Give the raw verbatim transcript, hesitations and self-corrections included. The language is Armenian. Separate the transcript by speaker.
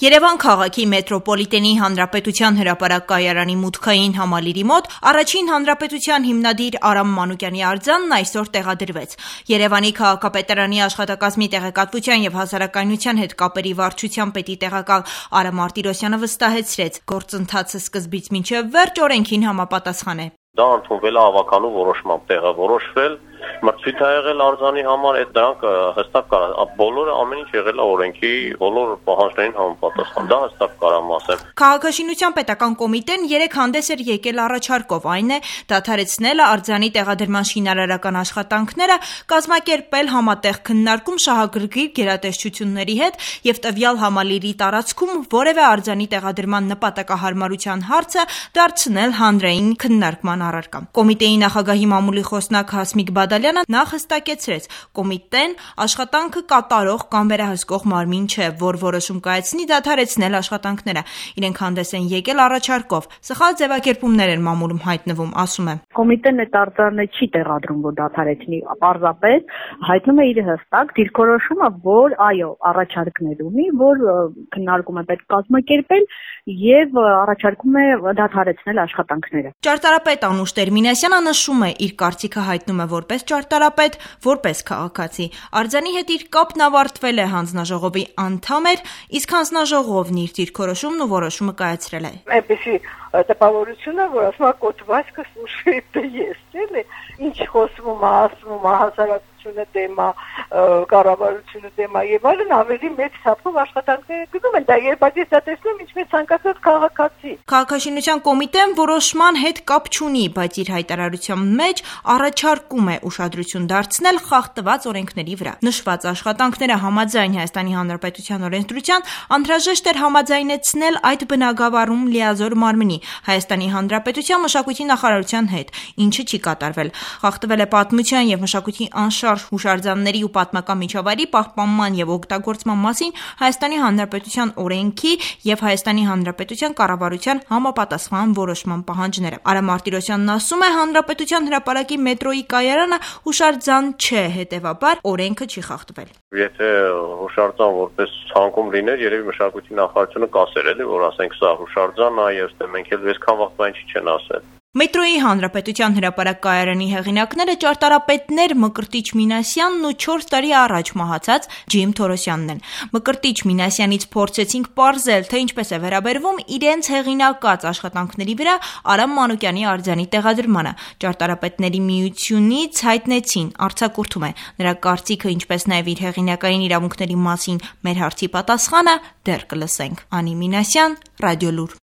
Speaker 1: Երևան քաղաքի մետրոպոլիտենի հանրապետության հրապարակ կայարանի մուտքային համալիրի մոտ առաջին հանրապետության հիմնադիր Արամ Մանուկյանի արձանն այսօր տեղադրվեց։ Երևանի քաղաքապետարանի աշխատակազմի տեղեկատվության եւ հասարակայնության հետ կապերի վարչության պետի տեղակալ Արա Մարտիրոսյանը վստահեցրեց, գործընթացը սկզբից մինչեւ վերջ օրենքին համապատասխան է։
Speaker 2: Դա ընդունվել է հավաքանու որոշմամբ տեղավորոշվել, մրցույթ է եղել արձանի համար, այդ դրանք հստակ կար, բոլորը ամեն ինչ եղել է օրենքի բոլոր պահանջներին համապատասխան, դա հստակ կարամ ասեմ։
Speaker 1: Քաղաքաշինության պետական կոմիտեն երեք հանդես էր եկել առաջարկով, այն է դադարեցնել արձանի տեղադրման շինարարական աշխատանքները, կազմակերպել համատեղ քննարկում շահագրգիռ գերատեսչությունների հետ եւ տվյալ համալիրի տարածքում որևէ արձանի տեղադրման նպատակահարմարության հարցը դարձնել հանրային քննարկման առարկա։ Կոմիտեի նախագահի մամուլի խոսնակ Հասմիկ Բադալյանը նախ հստակեցրեց, կոմիտեն աշխատանքը կատարող կամ վերահսկող մարմին չէ, որ որոշում կայացնի դադարեցնել աշխատանքները։ Իրենք հանդես են եկել առաջարկով։ Սխալ ձևակերպումներ են մամուլում հայտնվում, ասում է։
Speaker 3: Կոմիտեն այդ արձանը չի տեղադրում, որ դադարեցնի, պարզապես հայտնում է իր հստակ դիրքորոշումը, որ այո, առաջարկներ ունի, որ քննարկում է պետք կազմակերպել եւ առաջարկում է դադարեցնել աշխատանքները։
Speaker 1: Ճարտարապետ Անուշ Տերմինասյանը նշում է, իր կարծիքը հայտնում է որպես ճարտարապետ, որպես քաղաքացի։ Արձանի հետ իր կապն ավարտվել է, հանձնաժողովի անդամ էր, իսկ հանձնաժողովն իր դիրքորոշումն ու որոշումը կայացրել է։
Speaker 4: Այնպեսի տպավորությունը, որ ասում է կոթվածքը սուշիտ ես, էլի, ինչ խոսվում է, ասվում է, հասարակությունը դեմ է, կառավարությունը դեմ է եւ այլն, ավելի մեծ չափով աշխատանքները գնում են, դա երբ այս դա տեսնում, ինչպես ցանկացած քաղաքացի։
Speaker 1: Քաղաքաշինության կոմիտեն որոշման հետ կապ չունի, բայց իր հայտարարության մեջ առաջարկում է ուշադրություն դարձնել խախտված օրենքների վրա։ Նշված աշխատանքները համաձայն Հայաստանի Հանրապետության օրենսդրության անհրաժեշտ էր համաձայնեցնել այդ բնագավառում լիազոր մարմնի Հայաստանի Հանրապետության մշակույթի նախարարության հետ, ինչը չի կատարվել։ Խախտվել է պատմության եւ մշակույթի անշարժ հուշարձանների ու պատմական միջավայրի պահպանման եւ օգտագործման մասին Հայաստանի Հանրապետության օրենքի եւ Հայաստանի Հանրապետության կառավարության համապատասխան որոշման պահանջները։ Արա Մարտիրոսյանն ասում է, Հանրապետության հրապարակի մետրոյի կայարանը հուշարձան չէ, հետեւաբար օրենքը չի խախտվել։
Speaker 2: Եթե հուշարձան որպես ցանկում լիներ, երևի մշակույթի նախարարությունը կասեր էլի, որ ասենք սա հուշարձան է, եւ մենք էլ այսքան վաղ բան չի չեն ասել։
Speaker 1: Մետրոյի Հանրապետության հրապարակ կայարանի հեղինակները ճարտարապետներ Մկրտիչ Մինասյանն ու չորս տարի առաջ մահացած Ջիմ Թորոսյանն են։ Մկրտիչ Մինասյանից փորձեցինք պարզել, թե ինչպես է վերաբերվում իրենց հեղինակած աշխատանքների վրա Արամ Մանուկյանի արձանի տեղադրմանը։ Ճարտարապետների միությունից հայտնեցին, արձակուրդում է նրա կարծիքը, ինչպես նաև իր հեղինակային իրավունքների մասին մեր հարցի պատասխանը դեռ կլսենք։ Անի Մինասյան, Ռադիոլուր։